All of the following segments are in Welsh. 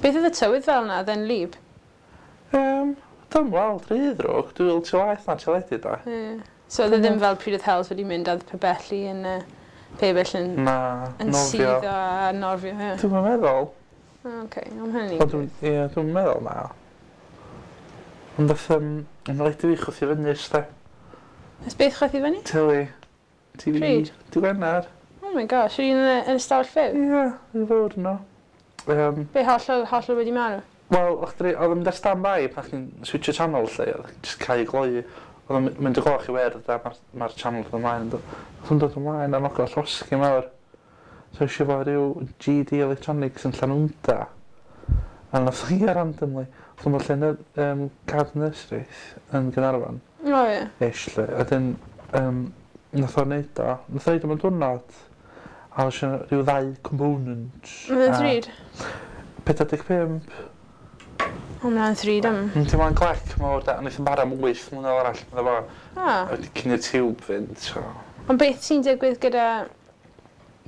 Beth oedd y tywydd fel 'na? Oedd e'n wlyb? Dwi'm weld rhy ddrwg. Dwi weld ti waeth na teledu 'de. Ie. So oedd e ddim fel pryd oedd Heledd wedi mynd a oedd pibelli yn y pebyll yn... Na, yn nofio. Suddo a nofio, ie. Dwi'm yn meddwl. O oce, o ma' hynny'n Ond dwi'n ie dwi'm yn meddwl na. Ond nath yn rhaid i fi chwythu fyny 'sti. Nath beth chwythu fyny? Teli. TV. Pryd? Dy' Wener. Oh my gosh, yr un yn y yn y stafell fyw? Ie, i fod yno. Be hollol hollol wedi marw? Wel o'ch chdi o'dd o'n mynd ar stand by pan chdi'n switsio channel 'lly o'dd jyst cau y gloi. O'dd o'n my- mynd y gloch i wyrdd a ma'r ma'r channel dod ymlaen yndw? O'dd o'n dod ymlaen a nogo llosgi mawr. So es i efo ryw Gee Dee Electronics yn Llanwnda. A nath o ia randomly so ma' lle ny- gardd nurseries yn Gaernarfon. O ie. Ish 'lly. A 'dyn nath o neud o. Nath o neud o mewn diwrnod. A o'dd isio rhyw ddau component. Oedd e'n ddrud? 45. O ma' wnna'n ddrud am... Yndi ma'n glec mawr 'de a neith o'm bara am 8 mlynedd arall medda fo. O. A wedi cyn i'r tiwb fynd so. Ond beth sy'n digwydd gyda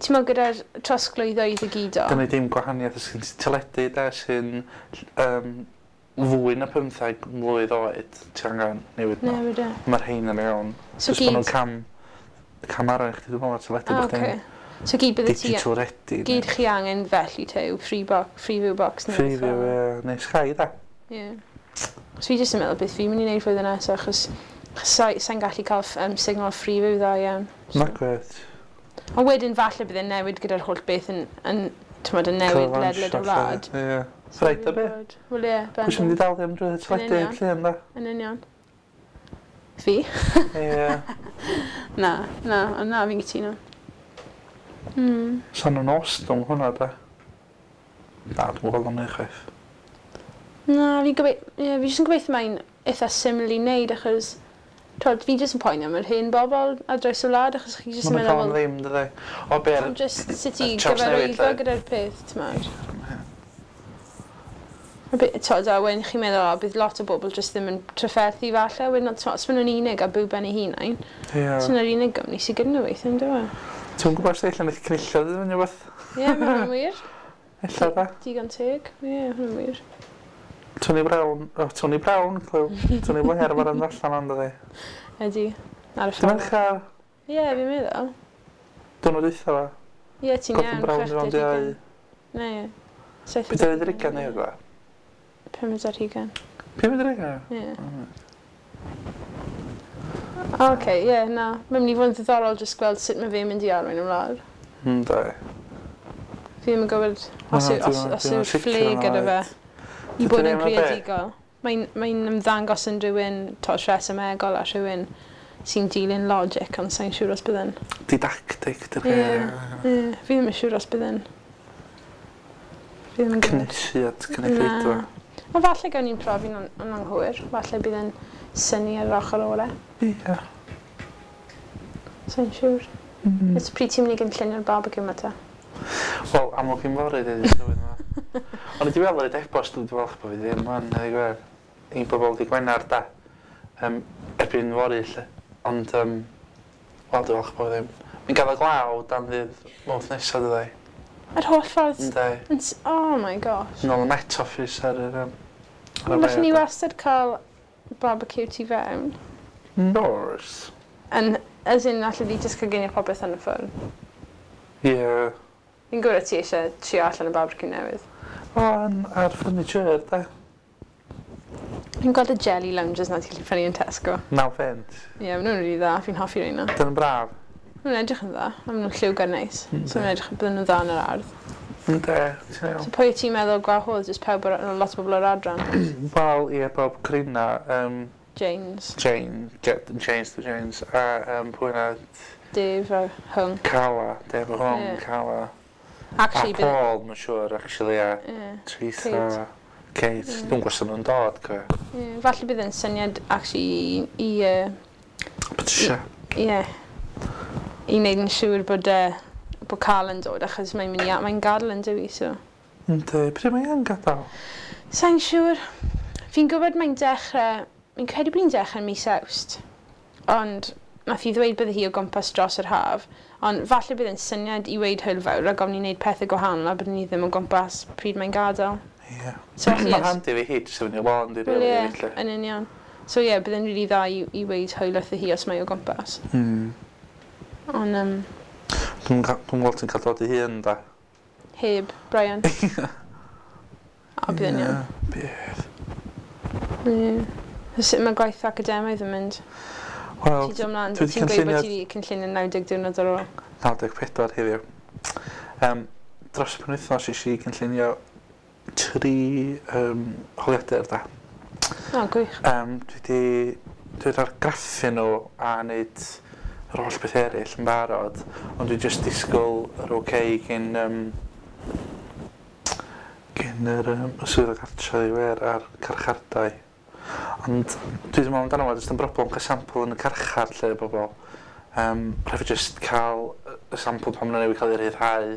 t'mod gyda'r trosglwyddo i ddigidol? 'Di neud dim gwahaniaeth os gen ti teledu 'de sy'n fwy na 15 mlwydd oed ti angen newid n'w. Newid e. Ma'r rhein yn iawn. So Jyst ma' nw'n gyd... cam cam arall i chdi dwi me'wl ar teledu O bo' chdi'n oce. So gyd bydde ti... digital ready. Gyd chi angen felly te yw free box, Freeview box neu rhywbeth Freeview fel 'na. ie neu Sky 'de? Ie. So fi jyst yn meddwl beth fi'n mynd i wneud flwyddyn nesaf achos sai sai'n gallu cael signal Freeview dda iawn. So. Nagwyt. Ond wedyn falle bydd e'n newid gyda'r holl beth yn, yn t'mod, yn newid ledled y wlad. Ie. So Reit fi'n o be? gwybod. Wel ie, Pwy sy'n mynd i bendant. dalu am drwy Yn teledu union. llun da? Yn union. Fi? Ie. Na, na, ond na, fi'n cytuno. Sa'n nhw'n ostwng hwnna da? Na, dwi'n gweld o'n eich chwaith. Na, fi'n gobeithio, ie, fi jyst yn gobeithio mae'n eitha syml i wneud achos, twod, fi jyst yn poeni am yr hen bobl ar draws y wlad achos chi jyst yn Ma'n meddwl, cael wel, ddim, dydy. O, be ar... ond jyst sut i y trawsnewid, gyfarwyddo lle. gyda'r peth, t'mod. A t'od, a wedyn chi'n meddwl, o, bydd lot o bobl jyst ddim yn trafferthu falle, wedyn, t'mod, os maen nhw'n unig a byw ben eu hunain, Ie. sy'n yr unig gwmni sydd gyda nhw weithie, on'd yw e? Ti'n gwybod sut ella wneith cynulliad ddod fyny wbeth? Ie, ma' hwnna'n wir. Ella da. Digon teg. Ie, hwnna'n wir. Tony Brown, oh, Tony Brown, clyw. Tony Blair mae'r yn allan ond ydi. Ydy. Ar y Dwi'n ffordd. mercher, Ie, fi'n meddwl. dwi'n oed eitha fa. Ie, ti'n Gordon iawn. Brown i fo'n diau. Ne, ie. Saith Beth oedd yr ugain neu dda? Pumed ar hugain. Pumed ar ugain? Ie. Oce, ie, na. Mae'n mynd i fod yn ddiddorol jyst gweld sut mae fe'n mynd i arwain y wlad. Ynddi. Fi ddim yn gwybod os Na, yw, os, os dwi'm yn yw'r sicr ffle yna gyda fe oed. i bod Dydyn yn ni ddim yn be? greadigol. Mae'n mae ymddangos yn rhywun to, rhesymegol a rhywun sy'n dilyn logic, ond sa'n siŵr os bydd yn. Didactic, dy'r Ie. gair. Ie, fi ddim yn siŵr os bydd yn. Fi ddim yn gwybod. Cynnesu at cynulleidfa. Na. Ond falle gawn ni'n profi'n yn anghywir. Falle bydd yn synnu ar yr ochr orau. Ie. Sa'n siŵr. Ers pryd ti'n mynd i gynllunio'r barbecue yma te? Wel, amlwg i'n fory, dweud y tywydd yma. Ond i weld yr e-bost, dwi'n falch bod fi ddim yn, dweud gwir. I bobl di Gwener, da. Erbyn fory, lle. Ond, wel, dwi'n falch bod fi ddim. Mi'n gael y glaw dan ddydd Mawrth nesaf, dwi. Yr holl ffordd... Ynddi. Yn Oh my gosh. Yn ôl y Met Office ar yr... Ar y Ond Allen ni we, da. wastad cael barbecue tu fewn. Nors. Yn, as in, allen ni jyst coginio popeth yn y ffwrn. Ie. Fi'n gwybod ti eisiau trio allan y barbecue newydd. O, yn, ar furniture, da. Fi'n gweld y jelly lounges na ti'n gallu prynu yn Tesco. 9 pence. Ie, yeah, maen nhw'n rili dda. Fi'n hoffi rheina. Dyna'n braf. Maen nhw'n edrych yn dda. A maen nhw'n lliwgar neis. So maen nhw'n edrych bydden nhw'n dda yn yr ardd. Ynddi, ti'n iawn. So pwy wyt ti'n meddwl gwahodd? Jyst pawb o'r, lot o bobl o'r adran? Wel, ie, bob Corina, James, Jane, James the James, a pwy na, Dave a Hung. Cala, Dave Hong, Ie. Cala. Actually, a Paul, mae'n siŵr, actually, a Ie. Teresa, Kate. Ie. Dwi'n gwybod nhw'n dod, co. Ie, falle bydd yn syniad actually i Patricia. ie, i wneud yn siŵr bod, bod Carl yn dod, achos mae'n mynd i, mae'n gadael yn dywi, so. Ynddi, pryd mae yn gadael? Sa'n siŵr. Fi'n gwybod mae'n dechrau, fi'n credu bod hi'n dechrau mis Awst, ond nath hi ddweud bydde hi o gwmpas dros yr haf, ond falle bydd yn syniad i weud hwyl fawr rhag ofn i wneud pethau gwahanol a byddwn ni ddim o gwmpas pryd mae'n gadael. Ie. So, felly, Mae'n handi fi hi, jyst i fyny lôn, di Wel, rili, ie, felly. yn union. So ie, bydd e'n rili dda i weud hwyl wrtho hi os mae o gwmpas. Ond Dwi'n gweld ti'n cael dod i hun, da. Heb Brian. A bydd e'n iawn. Bydd. Ie. So sut mae gwaith academaidd yn mynd? Wel, Ti'n dod ymlaen, dwi 'di ti'n gweud bod cynllunio- ti wedi cynllunio 90 diwrnod ar ôl. 94 heddiw. Dros y penwythnos es i cynllunio 3 holiadur da. O, gwych. Dwi wedi argraffu nhw a wneud yr holl beth eraill yn barod, ond dwi jyst disgwyl yr OK gyn yr y swyddog cartre i wer a'r carchardai. Ond dwi ddim yn meddwl amdano fo, jyst yn broblem cael sampl yn y carchar lle bobl. Rhaid fi jyst cael y sampl pan maen nhw newydd cael ei rhyddhau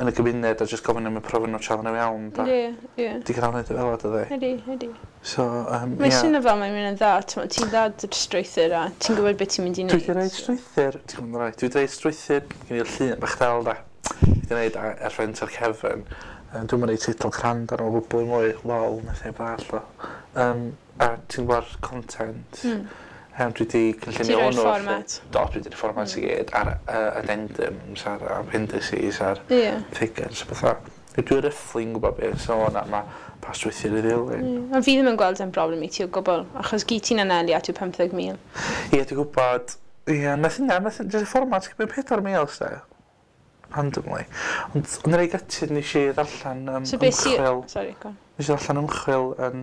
yn y gymuned a jyst gofyn am y profi nhw tra nhw iawn. Da. Ie, ie. Di cael wneud o fel o, dydy. Ydy, ydy. So, Mae'n ie. swnio fel mae'n mynd yn dda, ti'n dda dy'r strwythur a ti'n gwybod beth ti'n mynd i Dwi wneud. wedi rhaid strwythur, ti'n gwybod rhaid, dwi wedi rhaid strwythur, gen i'r llun bach del da. Dwi wedi gwneud ar ffrynt o'r cefn. Dwi'n mynd i teitl crand ar o gwbl i mwy, lol, nath i ball o. A ti'n gwybod content. Dwi wedi Ti'n cynllunio rhoi'r hwnnw. fformat. Do, dwi wedi rhoi fformat i gyd ar addendums, ar appendices, ar figures a bethau. Dwi roughly yn gwybod beth so hwnna, mae pa strwythur i ddilyn. Ie. Ond fi ddim yn gweld e'n broblem i ti o gwbl, achos gyd ti'n anelu at yw 15,000. Ie, dwi'n gwybod. Ie, nath hynna, nath jyst y fformat gymryd 4,000, ste. Randomly. Ond yn rei gutted nes i ddarllen So beth sy... ymchwil. Sorry, go on. Nes i ddarllen ymchwil yn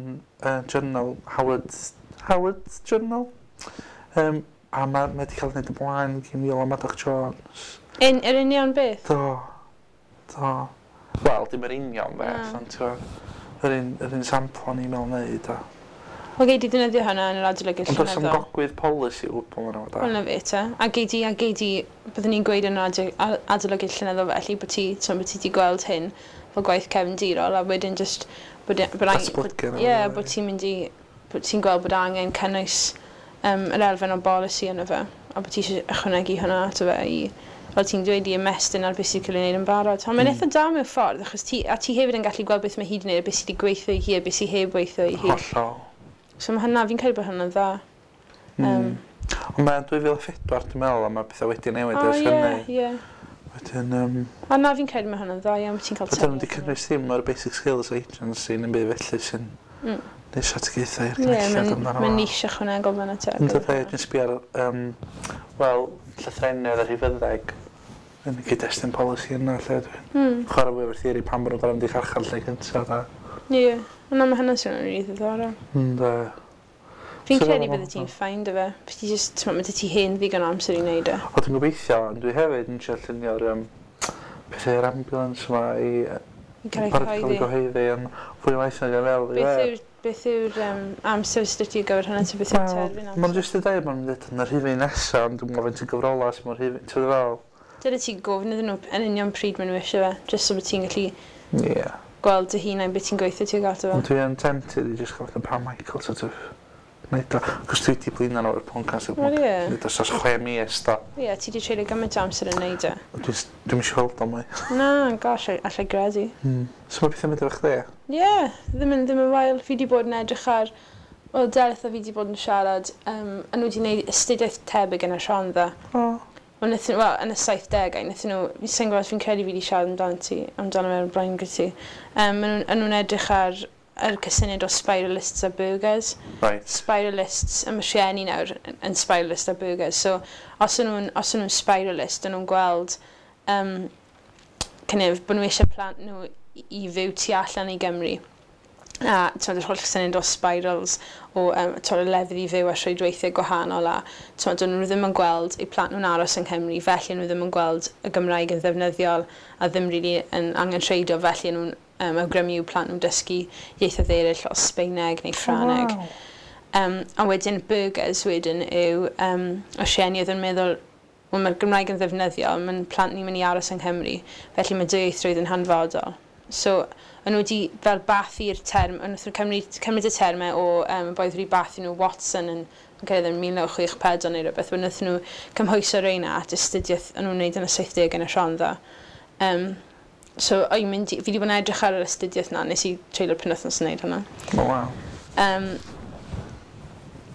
journal, Howard Journal. A mae wedi cael ei wneud y blaen gyn Iola Madoc Jones. Yr union beth? Do. Do. Wel, dim yr union beth, Na. ond ti'n gwbod, yr un sampl o'n i'n meddwl wneud. Wel, gei di ddefnyddio hwnna yn yr adolygiad Ond does am llenyddol. gogwydd polisi o gwbl yn Wel, na fe te. A gei di, byddwn ni'n gweud yn yr adolygiad llenyddol felly, bod ti, ti'n bod ti wedi gweld hyn fel gwaith cefndirol, a wedyn just, bod Datblygu nhw, Ie, ie. bod ti'n mynd i, bod ti'n gweld bod angen cynnwys yr elfen o bolisi yno fe, a bod ti eisiau ychwanegu hwnna ato fe i, fel ti'n dweud, i ymestyn ar beth sy'n cael ei wneud yn barod. Ond mae'n eitha da mewn ffordd, achos ti, a ti hefyd yn gallu gweld beth mae hi wedi wneud, a beth sydd wedi gweithio i hi, a beth sydd heb weithio i hi. Hollol. So mae hynna, fi'n credu bod hynna'n dda. Ond mae'n 2004 dwi'n meddwl, a mae pethau wedi newid O, ers ie, hynny. ie. Wedyn, A na, fi'n credu mae hynna'n dda iawn, ti'n cael Fydden nhw wedi tyfiant. cynnwys ddim o'r basic skills agency yn byd felly sy'n neud strategaethau i'r Ie, cynulliad mae'n amdano ma fo. niche ychwanegol fan y te. Yn dod dwi'n sbio ar, wel, llythrennedd a rhifyddeg yn y cyd-destun polisi yna, lle dwi'n chwarae fwy o'r theori pam bod nhw'n gorfod mynd i carchar lle cyntaf, da. Ie, ond na, mae hynna'n swnio'n rili ddiddorol. Ynddo. Fi'n So credu fel bydde ti'n fine dy fe. Bydde ti just, ti'n mae ti hen ddigon o amser i wneud e. O, dwi'n gobeithio, ond dwi hefyd yn trio llunio'r pethau i'r ambulance yma i I cael ei barod cael ei cyhoeddi. gyhoeddi yn fwy o waith nag yn fel. Beth yw'r amser sydd ti gyfer hynna? Beth yw'r terfyn Wel, ma'n amser? jyst i dweud, ma'n dweud yn yr rhifyn nesaf, ond dwi'n gofyn ti'n gyfrolau sy'n mor rhifyn, ti'n fel? Dyna ti gofyn iddyn nhw yn union pryd maen nhw eisiau fe, just so bod ti'n gallu gweld dy hunain beth ti'n gweithio tuag ato fe. Ond dwi yn tempted i just gael fatha Pam Michael sort of neud o. Cos dwi wedi blino nhw o'r podcast. Wel, ie. Neud o dros 6 mis, da. Ie, ti wedi treulio gymaint o amser yn neud e. Dwi'n eisiau weld o mwy. Na, gosh, allai gredu. So mae pethau'n mynd efo chdi? Ie, yeah, ddim yn wael. Fi wedi bod yn edrych ar... Wel, Delyth a fi wedi bod yn siarad, a nhw wedi gwneud astudiaeth tebyg yn y Rhondda. O. Wel, wel, yn y 70au, wnaethon nhw, fi'n sy'n gwybod, fi'n credu fi wedi siarad amdano ti, amdano fe'r blaen gyda ti. Maen nhw'n edrych ar yr cysyniad o spiralists a burghers. Spiralists, y mae rhieni nawr yn spiralist a burghers. So, os o'n nhw'n spiralist, o'n nhw'n gweld kind of, bod nhw eisiau plant nhw i fyw tu allan i Gymru. A t'mod, yr holl syniad o spirals, o t'mod, y lefydd i fyw a rhwydweithiau gwahanol a t'mod, do'n nhw ddim yn gweld eu plant nhw'n aros yng Nghymru, felly nhw ddim yn gweld y Gymraeg yn ddefnyddiol a ddim really yn angenrheidiol, felly nhw'n awgrymu i'w plant nhw'n dysgu ieithoedd eraill fel Sbaeneg neu Ffrangeg. Wow. A wedyn burghers wedyn yw y rhieni oedd yn meddwl, wel, mae'r Gymraeg yn ddefnyddiol, mae'n plant ni'n mynd i aros yng Nghymru, felly mae dwyieithrwydd yn hanfodol. So, o'n nhw wedi fel bathu'r term, o'n nhw'n cymryd y termau o boi wedi bathu nhw Watson yn credu yn 1964 neu rhywbeth, wedyn wnaethon nhw cymhwyso reina at astudiaeth o'n nhw'n wneud yn y 70 yn y Rhondda. So, fi wedi bod yn edrych ar yr astudiaeth na, nes i treulio'r penwythnos yn neud hwnna. Oh, wow.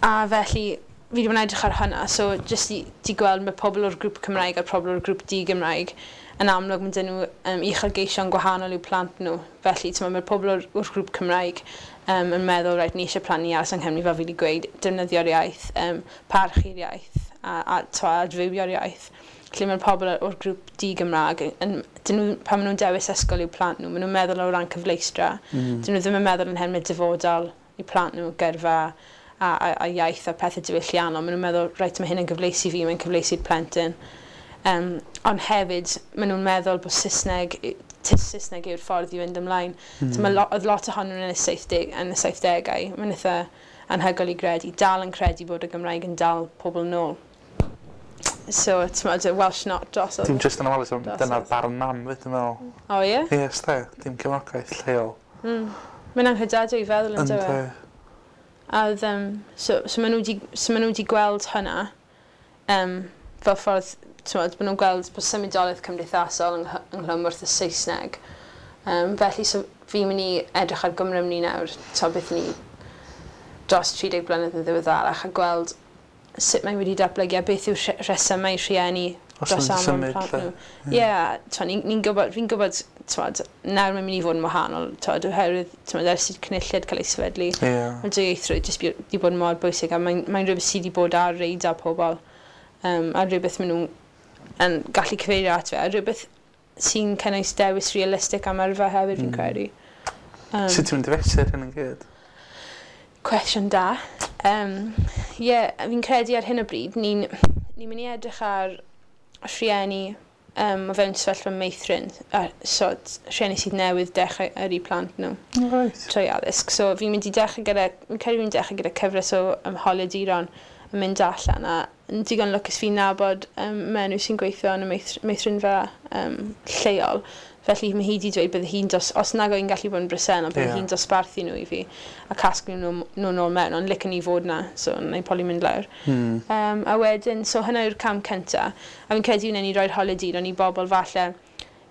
A felly, fi wedi bod yn edrych ar hwnna, so jyst i gweld mae pobl o'r grŵp Cymraeg a'r pobl o'r grŵp di-Gymraeg yn amlwg mae dyn nhw uchelgeision gwahanol i'w plant nhw. Felly, mae'r pobl o'r grŵp Cymraeg yn meddwl, reit, ni eisiau plant ni aros yng Nghymru, fel fi wedi gweud, defnyddio'r iaith, parchu'r iaith a adfywio'r iaith. Lle mae'r pobl o'r grŵp di-Gymraeg, dyn nhw, pan maen nhw'n dewis ysgol i'w plant nhw, maen nhw'n meddwl o ran cyfleustra. Dyn nhw ddim yn meddwl yn termau dyfodol i'w plant nhw, gyrfa a iaith a pethau diwylliannol. Maen nhw'n meddwl, reit, mae hyn yn gyfleus i fi, mae'n cyfleus i'r plentyn. Ond hefyd, maen nhw'n meddwl bod Saesneg yw'r ffordd i fynd ymlaen. So mae oedd lot ohonyn nhw yn y 70au, mae'n eitha anhygoel i gredu, dal yn credu bod y Gymraeg yn dal pobl nôl. So, ti'n y Welsh not drosodd. Dim just yn ofalus, dyna'r barn mam, fyd, dwi'n meddwl. O, ie? Yes, de, dim cefnogaeth lleol. Mae'n anghredadwy i feddwl yn dywe. A so maen nhw wedi gweld hynna fel ffordd, ti'n maen nhw'n gweld bod symudolaeth cymdeithasol ynghlwm wrth y Saesneg. Felly, so fi'n mynd i edrych ar Gymru ni nawr, to beth ni dros 30 blynedd yn ddiweddarach, a gweld sut mae wedi datblygu a beth yw'r rhesymau rhieni dros aml plant nhw. Ie, fi'n gwybod, nawr mae'n mynd i fod yn wahanol, oherwydd, ers i'r Cynulliad cael ei sefydlu, mae dwyieithrwydd jyst wedi bod mor bwysig, a mae'n rhywbeth sydd wedi bod ar radar pobl, a rhywbeth maen nhw yn gallu cyfeirio at fe, a rhywbeth sy'n cynnwys dewis realistig am yrfa hefyd, fi'n credu. Sut ti'n mynd i fesur hyn yn gyd? Cwestiwn da. Fi'n credu ar hyn o bryd, ni'n mynd i edrych ar rhieni o fewn sefyllfa meithrin, so rhieni sydd newydd dechrau yrru plant nhw trwy addysg. So fi'n mynd i dechrau gyda, fi'n credu fi'n dechrau gyda cyfres o holiaduron yn mynd allan, a yn digon lwcus fi'n nabod menyw sy'n gweithio yn y meithrinfa lleol. Felly mae hi wedi dweud bydde hi'n os nag oedd hi'n gallu bod yn bresennol, bydde hi'n dosbarthu nhw i fi a casglu nhw nôl mewn, ond licen i fod na, so na i probably mynd lawr. A wedyn, so hynna yw'r cam cynta. A fi'n credu wnawn ni roi'r holiaduron i bobl falle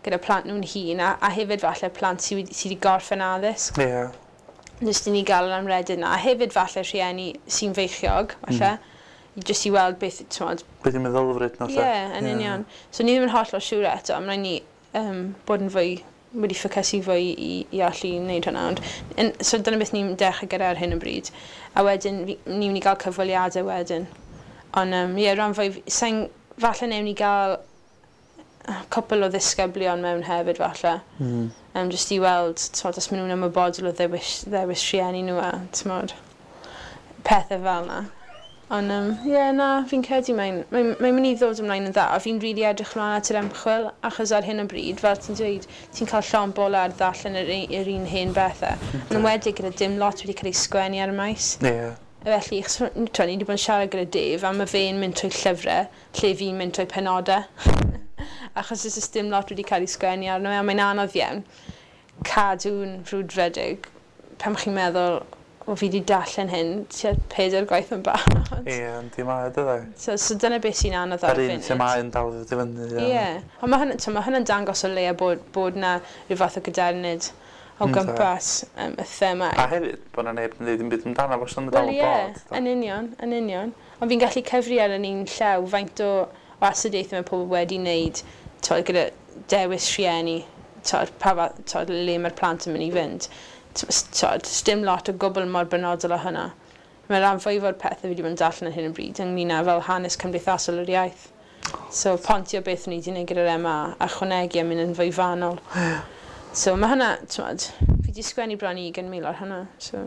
gyda plant nhw'n hun, a hefyd falle plant sydd wedi gorffen addysg. Jyst i ni gael yr amrediad na. A hefyd falle rhieni sy'n feichiog, falle. Jyst i weld beth, ti'n beth yw'n meddylfryd nhw, lle. Ie, yn union. So ni ddim yn hollol siŵr eto, mae'n rhaid ni bod yn fwy, wedi ffocysu fwy i allu wneud hwnna. Ond, so dyna beth ni'n dechrau gyda ar hyn o bryd. A wedyn, ni'n mynd i gael cyfweliadau wedyn. Ond, ie, rhan fwy, falle newn ni gael cwpl o ddisgyblion mewn hefyd, falle. Jyst i weld, t'mod, os maen nhw'n ymwybodol o ddewis rhieni nhw a, t'mod, pethau fel yna. Ond, ie, na, fi'n credu mae'n mynd i ddod ymlaen yn dda, a fi'n rili edrych ymlaen at yr ymchwil, achos ar hyn o bryd, fel ti'n dweud, ti'n cael llond bol ar ddarllen yr un hen bethau. Yn enwedig gyda dim lot wedi cael ei sgwennu ar y maes. Felly, ni wedi bod yn siarad gyda Dave, a mae fe'n mynd trwy llyfrau, lle fi'n mynd trwy penodau. Achos oes dim lot wedi cael ei sgwennu arno, a mae'n anodd iawn cadw'n frwdfrydig pan chi'n meddwl, o fi wedi darllen hyn tua 4 gwaith yn barod. Ie, yndi mae, dydy. So dyna beth sy'n anodd ar y funud. Yr un themâu yn dal i fyny. Ie, ond mae hynna'n dangos o leia bod na rhyw fath o gadernid o gwmpas y themâu. A hefyd, bod na neb yn dweud dim byd amdano, fo sy'n dal yn bod. Wel ie, yn union. Ond fi'n gallu cyfri ar yn un llaw faint o astudiaethau mae pobl wedi wneud gyda dewis rhieni, le mae'r plant yn mynd i fynd. Dim lot o gwbl mor benodol o hynna. Mae rhan fwyaf o'r pethau fi wedi bod yn darllen ar hyn o bryd ynglyn â fel hanes cymdeithasol yr iaith. So pontio beth ni wedi gwneud gyda'r MA a chwanegu a mynd yn fwy fanol. So mae hynna, t'mod, fi wedi sgwennu bron i 20,000 ar hynna. So.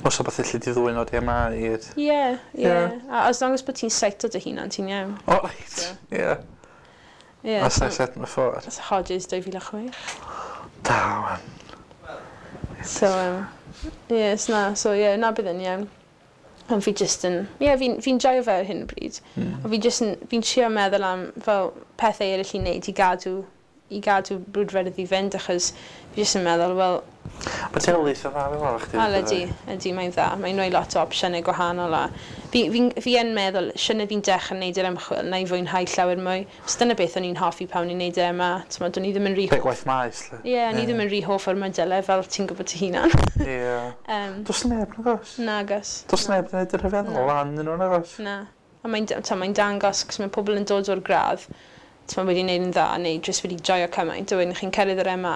Os o beth allu di ddwyn o'r MA i'r... Ie, ie. A as long as bod ti'n cito dy hunan, ti'n iawn. O, reit, ie. As I said before. That's Hodges 2006. Da, wan. So, yes, na, so ie, na bydd yn iawn. Ond fi jyst yn, ie, fi'n joio fe ar hyn o bryd. Ond fi jyst yn, fi'n trio meddwl am fel pethau eraill i wneud i gadw brwdfrydedd i fynd, achos fi jyst yn meddwl, wel... Mae Delyth yn dda fel arall chdi. Wel, ydy, ydy, mae'n dda. Mae'n rhoi lot o opsiynau gwahanol a fi yn meddwl, siwrne fi'n dechrau wneud yr ymchwil, na i fwynhau llawer mwy. Os dyna beth o'n i'n hoffi pan o'n i'n wneud e yma, t'mod, o'n i ddim yn rhy Be gwaith maes, lle. Ie, o'n i ddim yn rhy hoff o'r modelau fel ti'n gwybod dy hunan. Ie. Does neb nagos? Nagos. Does neb yn gwneud y rhyfeddol lan nhw nagos? Na. A mae'n mae dangos, cos mae pobl yn dod o'r gradd, t'mod, wedi wneud yn dda, neu jyst wedi joio cymaint, a wedyn chi'n cyrraedd yr MA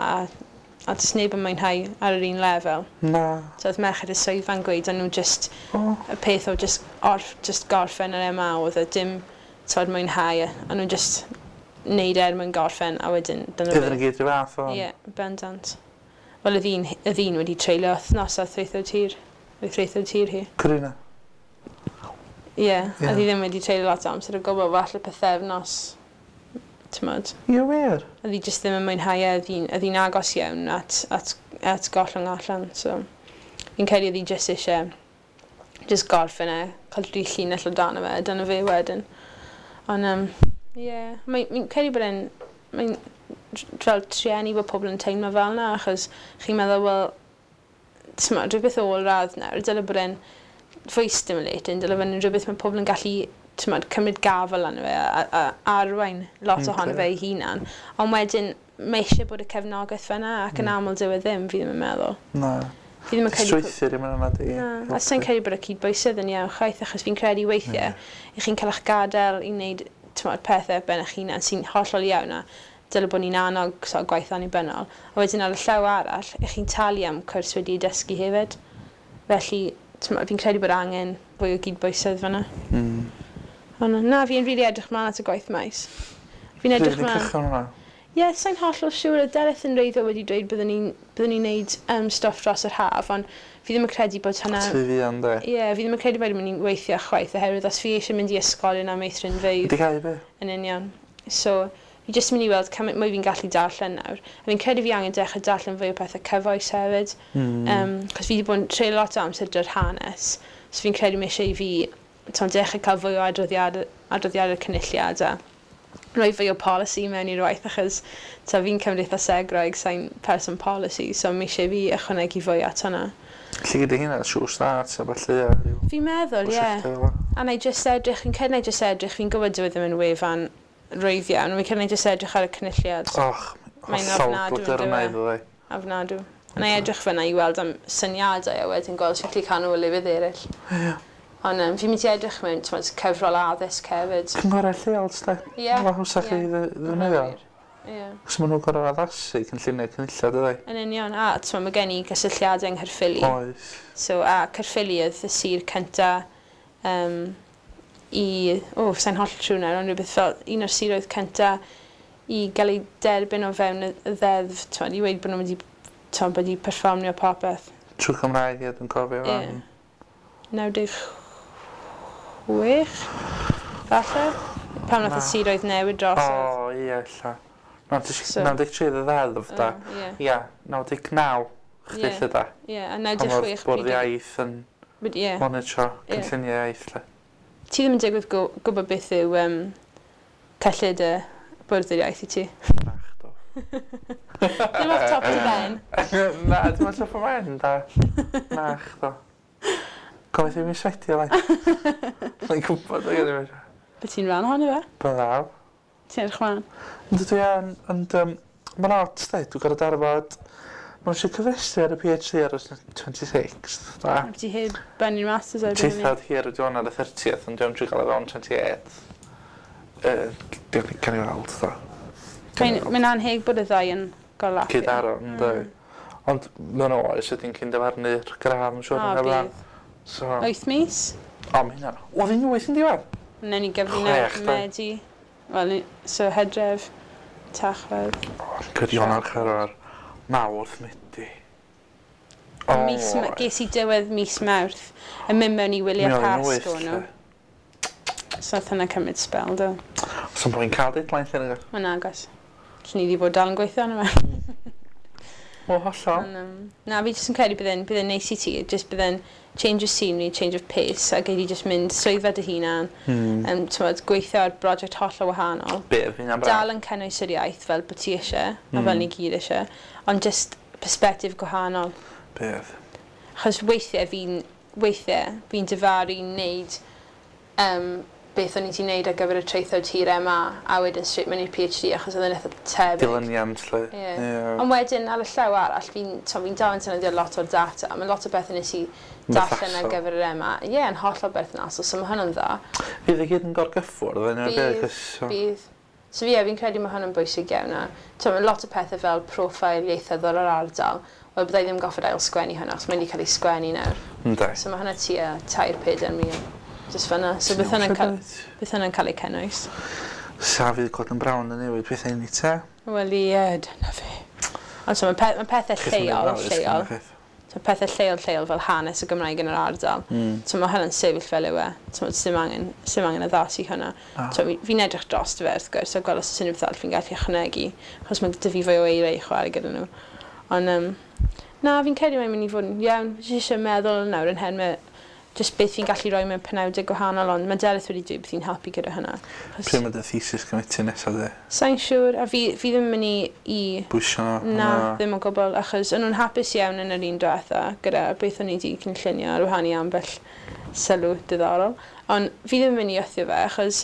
a does neb yn mwynhau ar yr un lefel. Na. So oedd merched y swyddfa'n gweud, o'n nhw just, y peth o just, just gorffen yr MA oedd e dim, t'mod, mwynhau, a nhw just neud er mwyn gorffen, a wedyn dyna Iddyn nhw gyd rhyw fath o... Ie, bendant. Wel, y ddyn wedi treulio wythnos a threithio tir. Oedd threithio tir hi. Corina? Ie, yeah, a ddi ddim wedi treulio lot o amser o gwbl, falle pythefnos, t'mod. Ie, wir? Oedd hi jyst ddim yn mwynhau e, oedd hi'n agos iawn at gollwng allan, so fi'n credu oedd hi jyst eisiau just gorffen e, cael dri llinell o dan fe, dyna fe wedyn. Ond, ie, yeah, mae'n credu bod e'n, mae'n fel trueni bod pobl yn teimlo fel yna, achos chi'n meddwl, wel, t'mod, rhywbeth ôl-radd nawr, dyle bod e'n fwy stimulating, dyle bod e'n rhywbeth mae pobl yn gallu, t'mod, cymryd gafel arno fe a arwain lot ohono fe ei hunan. Ond wedyn, mae eisiau bod y cefnogaeth fyna, ac yn aml dyw e ddim, fi ddim yn meddwl. Na. Fi ddim yn credu... Strwythur i mewn yna di. Na, a sa'n credu bod y cydbwysedd yn iawn chwaith, achos fi'n credu weithiau, i chi'n cael eich gadael i wneud, t'mod, pethau ben eich hunan sy'n hollol iawn a dyle bod ni'n annog so, gwaith annibynnol. A wedyn ar y llaw arall, i chi'n talu am cwrs wedi dysgu hefyd. Felly, t'mod, fi'n credu bod angen fwy o gydbwysedd fyna. Ond na, fi'n rili edrych mlaen at y gwaith maes. Fi'n edrych mlaen. Ie, yeah, sa'n hollol siŵr. Oedd Delyth yn reiddiol wedi dweud byddwn ni'n neud stwff dros yr haf, ond fi ddim yn credu bod hwnna... Ti fi yn, de? Ie, yeah, fi ddim yn credu bod ni'n weithio chwaith, oherwydd os fi eisiau mynd i ysgolion a meithrinfeydd... Di cael be? Yn union. So, fi jyst mynd i weld cymaint mwy fi'n gallu darllen nawr. A fi'n credu fi angen dechrau darllen fwy o pethau cyfoes hefyd. Cos fi wedi bod yn treulio lot o amser dy'r hanes. So fi'n credu mae eisiau i fi dechrau cael fwy o adroddiadau cynulliad a rhoi fwy o polisi mewn i'r waith, achos fi'n cymdeithasegwraig, sa'n person polisi, so mae eisiau fi ychwanegu fwy at hwnna. Lle gyda hynna, Sure Start a ballu a rhyw... Fi'n meddwl, ie. A na i jyst edrych, fi'n credu na i jyst edrych, fi'n gwybod dyw e ddim yn wefan rwydd iawn, fi'n credu na i jyst edrych ar y cynulliad. Och, hollol glydyrnaidd o dde. Ofnadw. A na i edrych fyna i weld am syniadau a wedyn gweld sut i cael nhw o lefydd eraill. Ie. Ond fi'n mynd i edrych mewn, t'mod, cyfrol addysg hefyd. Cynghorau lleol, t'de? Ie. Mae hawsach i ddefnyddio. Ie. Cos maen nhw'n gorfod addasu cynlluniau cynulliad, ydy? Yn union, a t'mod, mae gen i gysylltiadau yng Nghaerffili. Oes. So, a Caerffili oedd y sir cynta i... O, sa'n hollol trwy nawr, ond rhywbeth fel un o'r siroedd cynta i gael ei derbyn o fewn y ddeddf, t'mod, i weud bod nhw wedi, t'mod, wedi perfformio popeth. Trwy Cymraeg, ie, dwi'n cofio. Ie. 96, falle? Pan nath y siroedd newid drosodd. O, ie, ella. 93 y ddeddf, da. Ie, 99, chdi lle da. Ie, a 96... Pan oedd bwrdd iaith yn monitro cynlluniau iaith, lle. Ti ddim yn digwydd gwybod beth yw cyllid y bwrdd yr iaith i ti? Nach, do. Ddim off top dy ben? Na, dim off top o ben, da. Nach, do. Gobeithio i mi sweatio, lai. Mae'n gwybod o gyda fi. Be ti'n rhan ohono fe? Byddaf. Ti'n edrych mlaen? Yndw dwi yn, ond mae'n odd, de, dwi'n gorfod darfod. Mae'n eisiau cyfrestru ar y PhD ar y 26th, da. A ti heb bennu'r masters erbyn hynny? Teithad hir ydi hwn ar y 30th, ond dwi'n trio gael e fewn 28th. Gan i weld, da. Mae'n anheg bod y ddau yn gorlapio. Cyd-daro, ynddo. Ond mewn oes ydy'n cyn dyfarnu'r gradd, yn siŵr. O, bydd. So... 8 mis? O, mae hynna. Oedd hi'n 8 yn diwedd? Wnawn ni gyfri nawr, Medi. Wel, so Hydref, Tachwedd. O, credu Ionawr, Chwefror, Mawrth, Medi. O, mis, ges i diwedd mis Mawrth yn mynd mewn i wyliau Pasg o'n nhw. So nath hynna cymryd spel, do. Os yn bod cael deadline lle nag? Mae'n agos. Allen ni wedi bod dal yn gweithio arno fe. O, hollol. Na, fi jyst yn credu bydd e'n neis i ti, jyst bydd e'n change of scenery, change of pace, a gei di jyst mynd swyddfa dy hunan, t'mod, gweithio ar brosiect hollol wahanol. Be, fi hynna'n braf. Dal yn cynnwys yr iaith fel bod ti eisiau, a fel ni gyd eisiau, ond jyst perspective gwahanol. Beth? Achos weithiau fi'n difaru wneud beth o'n i wedi wneud ar gyfer y traethawd hir MA a wedyn straight mewn i'r PhD, achos oedd yn eitha tebyg. Dilyniant, lle. Ie. Ond wedyn ar y llaw arall, fi dal yn defnyddio lot o'r data. Mae lot o bethau nes i darllen ar gyfer yr MA. Ie, yeah, yn hollol berthnasol, so mae hwnna'n dda. Fydd i gyd yn gorgyffwrdd, yn Bydd, bydd. So ie, fi'n credu mae hwn yn bwysig iawn. A, mae lot o pethau fel profil ieithyddol o'r ardal. Wel, byddai ddim goffod ail sgwennu hwnna, achos mae wedi cael ei sgwennu nawr. So mae hwnna tua 3-4 mil. Just fyna. So beth hwnna'n cael ei cynnwys. Sa fydd Gordon Brown yn newid pethau ni te? Wel ie, dyna fe. Ond so mae pethau lleol, lleol. So pethau lleol, lleol fel hanes y Gymraeg yn yr ardal. So mae hwnna'n sefyll fel yw e. So sim angen addasu hwnna. Ah. So fi'n edrych dros fe wrth gwrs, a gweld os oes unrhyw beth arall fi'n gallu ychwanegu. Achos mae 'da fi fwy o eiriau i chwarae gyda nhw. Ond na, fi'n credu mae'n mynd i fod yn iawn. Fi eisiau meddwl nawr yn henwe just beth fi'n gallu rhoi mewn penawdau gwahanol, ond mae Delyth wedi dweud beth fi'n helpu gyda hynna. Pryd mae dy thesis committee nesaf de? Sa'n siŵr, a fi ddim yn mynd i Bwysio nhw? Na, na, ddim o gwbl, achos o'n nhw'n hapus iawn yn yr un diwetha gyda beth o'n i wedi cynllunio ar wahân i ambell sylw diddorol. Ond fi ddim yn mynd i wthio fe, achos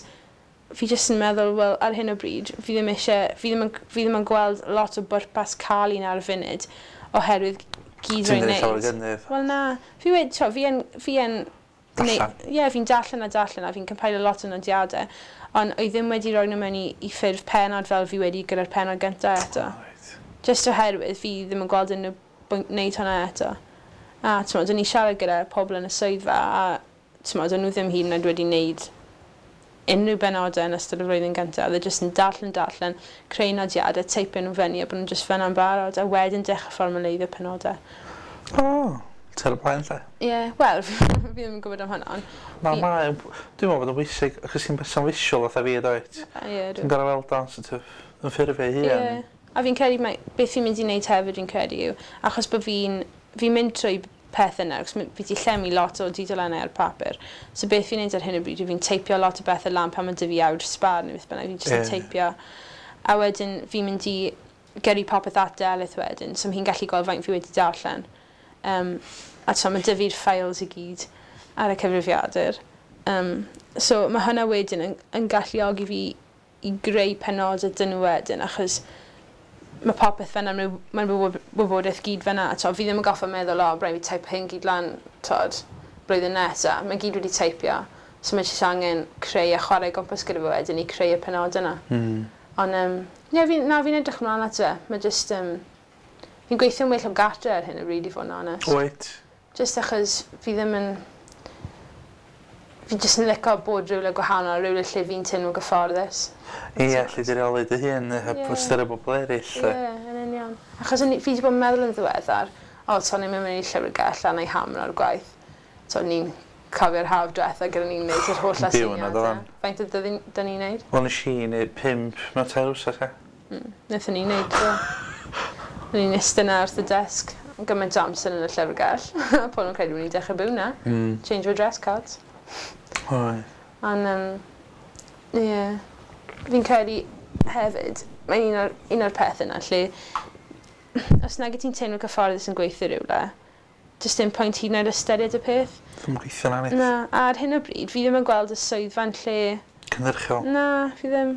fi jyst yn meddwl, wel, ar hyn o bryd, fi ddim eisiau, fi ddim yn gweld lot o bwrpas cael un ar y funud, oherwydd gyd rwy'n neud. Wel na, fi wedi, to, fi yn Darllen. Ie, yeah, fi'n darllen a darllen a fi'n compilio lot o nodiadau, ond oedd ddim wedi rhoi nhw mewn i ffurf penod fel fi wedi gyda'r penod gyntaf eto. Oh, right. Just oherwydd fi ddim yn gweld unrhyw bwynt wneud hwnna eto. A ti'n o'n i siarad gyda pobl yn y swyddfa a ti'n o'n nhw ddim hyd yn oed wedi wneud unrhyw benodau yn ystod y flwyddyn gyntaf. Oedd e jyst yn darllen, darllen, creu nodiadau, teipio nhw fyny a bod nhw'n just fyna'n barod, a wedyn dechrau formaleiddio penodau. O, oh, ter y blaen lle. Ie, yeah, wel, fi ddim yn gwybod am hwnna. Na, mae, dwi'n meddwl bod yn bwysig, achos ti'n person visual fatha fi, dwyt? Ie, Ti'n gorau weld o'n sort of, yn ffurfio ei hun. Ie, a fi'n credu, mae, beth fi'n mynd i wneud hefyd fi'n credu yw, achos bod fi'n mynd trwy pethau nawr, achos fi wedi llenwi lot o dudalennau ar papur. So beth fi'n neud ar hyn o bryd yw fi'n teipio lot o bethau lan pan mae 'da fi awr sbar neu beth bynnag, fi'n just yn teipio. A wedyn fi'n mynd i gyrru popeth at Delyth wedyn, so hi'n gallu gweld faint fi wedi darllen. A so mae 'da fi'r files i gyd ar y cyfrifiadur. So mae hwnna wedyn yn galluogi fi i greu penodau dyn nhw wedyn, achos mae popeth fyna, mae'n wybodaeth gyd fyna. To, fi ddim yn goffa meddwl, "O, rhaid fi teip hyn gyd lan, tod, blwyddyn nesaf." Mae gyd wedi teipio. So mae jyst angen creu a chwarae gwmpas gyda fe wedyn i creu y penod yna. Ond, ie, na, fi'n edrych ymlaen at fe. Mae just, fi'n gweithio'n well o gatre ar hyn o bryd, i fod yn onest. Wyt? Just achos fi ddim yn... Fi jyst yn licio bod rhywle gwahanol, rhywle lle fi'n teimlo gyfforddus. Ie, lle di reoli dy hun, heb ystyried bobl eraill. Ie, yn union. Achos fi wedi bod yn meddwl yn ddiweddar, o, so ni'n mynd i'r llyfrgell a neu hammer o'r gwaith. So ni'n cofio'r haf diwetha gyda ni'n neud yr holl Byw yna, aseiniadau. doeddan. Faint o dyn ni'n neud? Wel, nes i neud 5 mewn 3 wsos, e. Wnaethon ni neud, do. O'n i'n iste 'na wrth y desg yn gymaint o amser yn y llyfrgell. Pobl yn credu bod ni'n dechrau byw na. Change our dress codes. Oedd. Ond, ie, yeah. Fi'n credu hefyd, mae'n un o'r pethau yna lle, os nag ti'n teimlo cyfforddus yn gweithio rhywle, jyst dim pwynt hyd yn oed ystyried y peth. Ddim yn gweithio na nid. Na, a ar hyn o bryd, fi ddim yn gweld y swyddfa'n lle, Cynhyrchiol. na, fi ddim,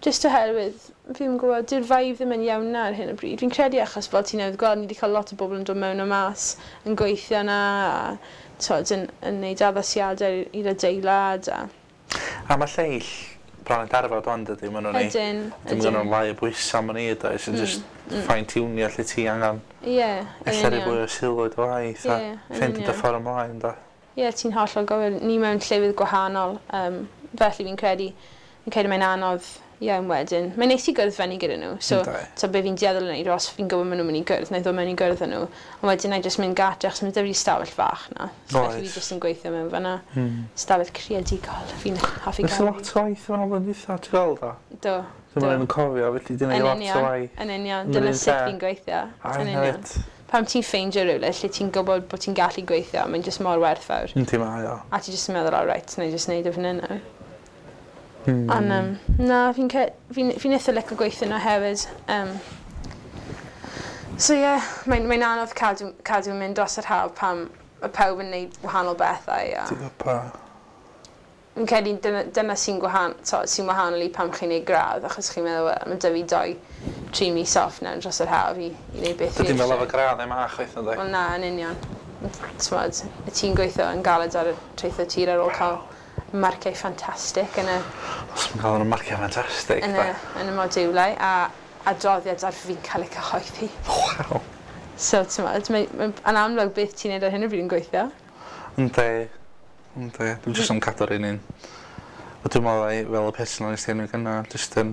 just oherwydd, fi ddim yn gwybod, dyw'r vibe ddim yn iawn na ar hyn o bryd. Fi'n credu achos fel ti'n newydd gweld, ni wedi cael lot o bobl yn dod mewn a mas, yn gweithio na, a twod, yn neud addasiadau i'r adeilad. A A mae lleill bron yn darfod o'n dydy, maen nhw'n ei. Ydyn, Dim ydyn. yn lai o bwysau maen nhw i, sy'n just fine-tunio lle ti angen. Ie, yn Ella rhoi union. fwy o sylw i dy waith a Ie, yn ffeindio dy union. ffordd ymlaen, da. Ie, ti'n hollol gywir. Ni mewn llefydd gwahanol, felly fi'n credu mae'n anodd iawn wedyn. Mae'n neis i gwrdd fyny gyda nhw. So, Yndi. so be fi'n dueddol yn neud, os fi'n gwybod maen nhw'n mynd i gwrdd, na i ddod mewn i gwrdd â nhw. Ond wedyn na i just mynd gatre, achos mae 'da fi stafell fach na. So felly Oes. fi just yn gweithio mewn fan'na. Stafell creadigol. Fi'n hoffi Nes i gael. lot o waith yn ôl yn dwytha, ti'n gweld o? Do. Dwi'n Do. mynd yn cofio, felly di Yn neud lot o union. waith. Yn union. Yn yr Dyna un sut lle. fi'n gweithio. A Yn union. hefyd. Pam ti'n ffeindio rhywle lle ti'n gwybod bod ti'n gallu gweithio, mae'n just mor werthfawr. Yndi mae o. A ti just yn meddwl, "Oh, right, na i just neud o fan hyn nawr." Ond na, fi'n fi, fi eitha licio gweithio yna hefyd. So ie, yeah, mae'n anodd cadw mynd dros yr haf pam mae pawb yn neud wahanol bethau. A Ti'n gwybod? Fi'n credu dyna sy'n wahanol i pam chi'n neud gradd, achos chi'n meddwl, wel, mae 'da fi 2-3 mis off nawr dros yr haf i wneud beth fi Dydy fel eisiau. efo gradd em a chwaith, ynddi? Wel na, yn union. T'mod, ti'n gweithio yn galed ar y traethau tir ar ôl cael marciau ffantastig yn y, Os mae'n cael yn marciau ffantastig, yn y, yn y modiwlau a adroddiad ar fi'n cael ei cyhoeddi. Waw. So, t'mod, mae yn amlwg beth ti'n neud ar hyn o bryd yn gweithio. Yndi. Yndi. Dwi'n jyst yn cadw'r un un. A dwi'n meddwl ai, fel y person o'n i enwi gynna, jyst yn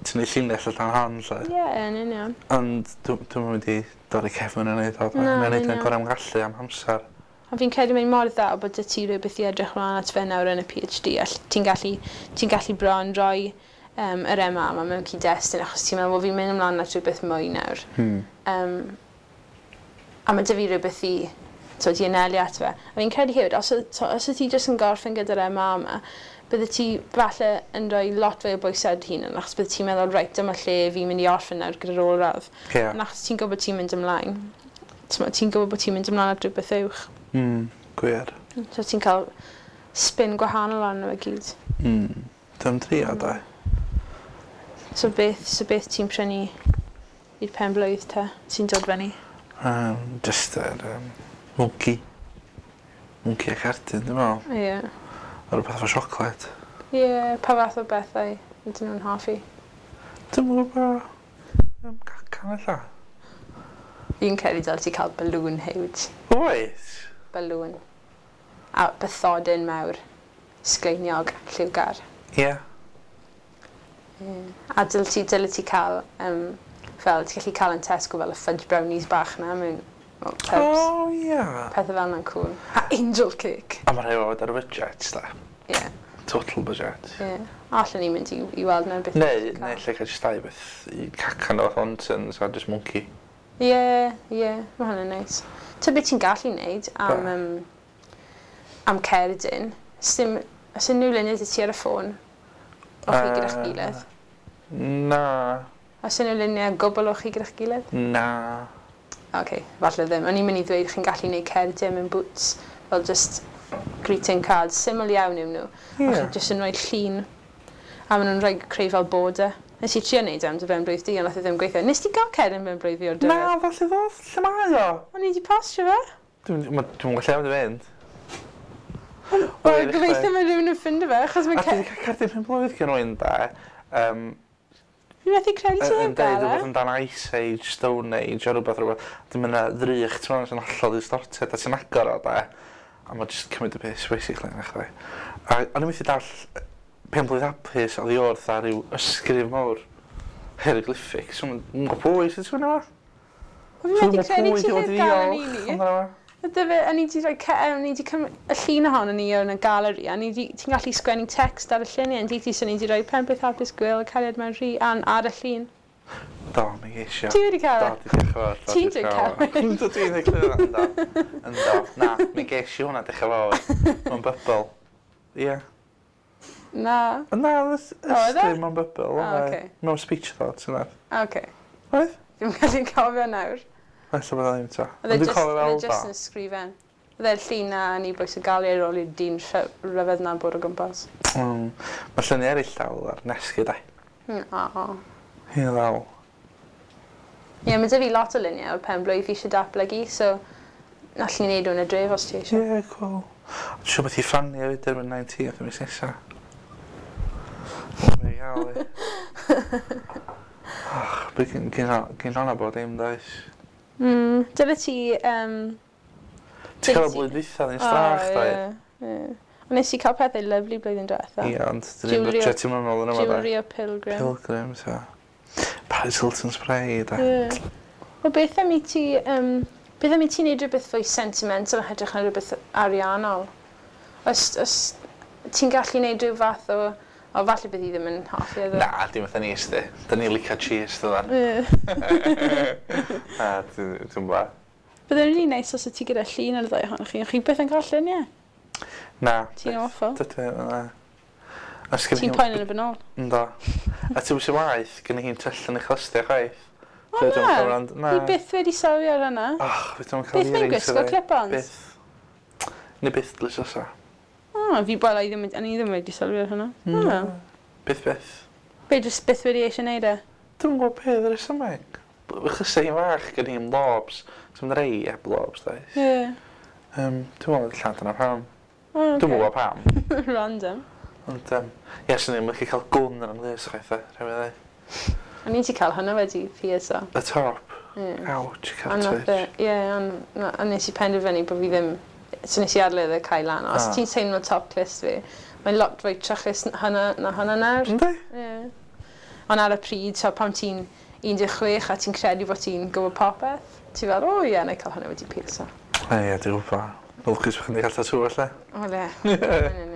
tynnu llinell allan hon, lle. Ie, yeah, yn union. Ond dwi'n mynd i dorri cefn yn neud o. Na, Mae'n neud yn yn union. gorau am gallu am amser. A fi'n credu mae'n mor dda bod 'da ti rhywbeth i edrych mlaen at fe nawr yn y PhD a ti'n gallu bron roi yr MA yma mewn cyd-destun achos ti'n meddwl, wel, fi'n mynd ymlaen at rhywbeth mwy nawr. A mae 'da fi rhywbeth i, t'wod, i anelu at fe. A fi'n credu hefyd, os oedd ti jyst yn gorffen gyda'r MA yma, bydde ti falle yn rhoi lot fwy o bwysau ar dy hunan, achos bydde ti'n meddwl, reit, dyma lle fi'n mynd i orffen nawr gyda'r ôl-radd. Ond achos ti'n gwybod ti'n mynd ymlaen, t'mod, ti'n gwybod bod ti'n mynd ymlaen at rhywbeth uwch. Gwir. So ti'n cael spin gwahanol arno fe gyd. Dwi'n trio, da. So beth ti'n prynu i'r pen blwydd te sy'n dod fyny? Just yr monkey. Monkey a cardyn, dwi'n meddwl. Ie. Yeah. A rhywbeth efo siocled. Ie, yeah, pa fath o bethau ydyn nhw'n hoffi? Dwi'n gwybod. Cacan ella. Fi'n credu dyle ti cael balloon huge. Oes. Balloon. A bathodyn mawr. Sgleiniog, lliwgar. Ie. Yeah. A dyle ti cael, fel, ti'n gallu cael yn Tesco fel y fudge brownies bach na mewn fel tubs. O, ie. Pethau fel yna'n cool. A angel cake. A mae rhai o fod ar y budget, da. Ie, yeah, Total budget. ie. Yeah. Allen ni mynd i weld na'r beth. Neu lle cael just dau beth i cacan o Thorntons a just monkey. Ie, mae hwnna'n neis. Ta beth ti'n gallu neud am, Be? am cerdyn, sdim, os unrhyw luniau 'da ti ar y ffôn, o chi gyda'ch gilydd. Na. Os unrhyw luniau gwbl o chi gyda'ch gilydd? Na. Oce, okay, falle ddim. O'n i'n mynd i ddweud chi'n gallu neud cerdyn mewn Boots, fel just greeting cards, syml iawn yw nhw. Ie. A chi jyst yn rhoi llun, a maen nhw'n rhoi creu fel border. Nes i trio neud e am dy ben blwydd di, ond nath e ddim gweithio. Nes ti gael cerdyn ben blwydd fi o'r Na, diwedd? falle ddod. Lle mae o? O'n i wedi postio fe. Dwi'n gwybod lle mae'n fynd. Wel, gobeithio mae rhywun yn ffindo fe, achos mae A dwi wedi cael cerdyn pen blwydd gen rhywun da. Fi'n methu credu ti Yn heb deud gael e. rhywbeth amdan Ice Age, Stone Age, a rhywbeth. Dim yna ddrych, ti'n meddwl, sy'n hollol distorted, a ti'n agor o, da. A mae jyst cymryd y piss, basically, na chdi. A o'n i'n methu dall pen blwydd hapus oddi wrth ar ryw ysgrif mawr hieroglyphic. So, mae'n gwybod pwy sy'n sgwennu fo? Wel, fi'n methu credu ti heb gael yn un i. Amdano fo? Ydy fe, o'n i wedi rhoi, o'n i wedi cymryd y llun ohono ni yn y galeri, a ti'n gallu sgwennu text ar y lluniau, yn ti, so ni wedi rhoi pen blwydd hapus Gwil, cariad mewn rhi, an, ar y llun. Do, mi geisio. Ti wedi cael Do, e? di diolch yn fawr. Do, Ti'n diolch yn dweud fawr. Yndw, dwi'n dweud clywed, ynddo. Ynddo. Na, mi geisio hwnna, diolch yn fawr. Mae'n bubble. Ie. Na. Na, O, oedd e? ysgrif mewn bubble. O, oedd e. ocê. Mewn speech thoughts yna. Oce. Oedd? Fi'n gallu cofio nawr. Ella bod o ddim to. Oedd e Ond dwi'n just, cofio oedd e fel just do. yn sgrifen. Oedd e'r llun na yn i bwys y gael ar ôl i'r dyn rhyfedd na'n bod o gwmpas. Mae lluniau eraill dal ar nesgu, da. O. Ie, ddal. Ie, mae 'da fi lot o luniau o'r pen blwydd fi eisiau datblygu, so allwn ni wneud nhw'n y dref os ti eisiau. Ie, cool. Dwi'n siŵr beth i ffanu hefyd erbyn 19th y mis nesa. Mae'n gael i. Och, beth gyn hwnna bod dim, does? Dyle ti Ti'n cael y blwyddyn dwytha ddim strach, O, doi? ie, ie. Ond nes i cael pethau lyfli blwyddyn diwetha. Ie, ond dyn ni'n budget i'n meddwl yn yma, da. Jewelry o Pilgrim. Pilgrim, so. Paris Hilton spray, da. Ie. Wel, beth am i ti wneud rhywbeth fwy sentimental yn hytrach na rhywbeth ariannol? Os ti'n gallu wneud rhyw fath o... O, falle bydd hi ddim yn hoffi iddo. Na, dim fatha ni, sti. Da ni'n licio cheese, dydan. Ie. Na, dwi'n ba. Byddai'n really neis os y ti gyda llun ar y ddau ohonoch chi. Chi byth yn cael lluniau. Na. Ti'n awful. Dydw i, na. A sgyn Ti'n poen yn y benol. Ynddo. A ti'n sy'n waith, gen i hi'n twll yn ei chlustia chwaith. O Dwi ddim yn na, cael rand. Na. fi byth wedi sylwi ar hynna. Ach, fi ddim yn cael Beth mae'n earrings gwisgo iddi. clip-ons? Byth. Neu byth dlys osa. O, fi wel, i ddim, o'n i ddim wedi sylwi ar hynna. O. Byth byth. Be, jyst byth wedi eisiau neud e? Dwi'n gwybod beth yr resymeg. Chos i'n fach gen i'n lobes. So mae'n rei heb lobes, does. Ie. Dwi'n meddwl allan dyna pam. O, ocê. Dwi'n gwybod pam. Random. Ond, ie, swn i'n licio cael gwn yn ymlys, chwaith, rhaid i ddweud. O'n i wedi cael hynna wedi pierso. Y top. Ie. Ouch, A cael nath twitch. e, ie, a nes i penderfynu bod fi ddim, so nes i adael iddo cael lan. Os Ah. ti'n teimlo top clust fi, mae'n lot fwy trachus hynna na hynna nawr. Yndi? Ie. Ond ar y pryd, so pan ti'n 16 a ti'n credu bod ti'n gwybod popeth, ti fel, o ie, na i cael hynna wedi pierso. Ie, dwi'n gwybod. Lwcus bod chi'n cael tatŵ, felly. O le, yn union.